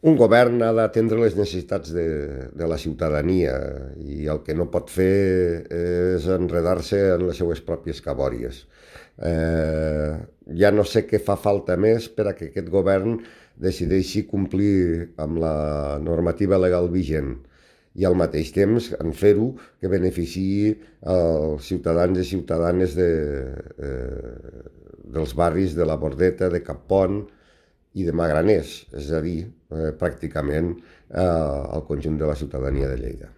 Un govern ha d'atendre les necessitats de la ciutadania i el que no pot fer és enredar-se en les seues pròpies cabòries. Ja no sé què fa falta més per a que aquest govern decideixi complir amb la normativa legal vigent i al mateix temps en fer-ho que beneficiï els ciutadans i ciutadanes dels barris de la Bordeta, de Cappont i de Magraners, és a dir, pràcticament el conjunt de la ciutadania de Lleida.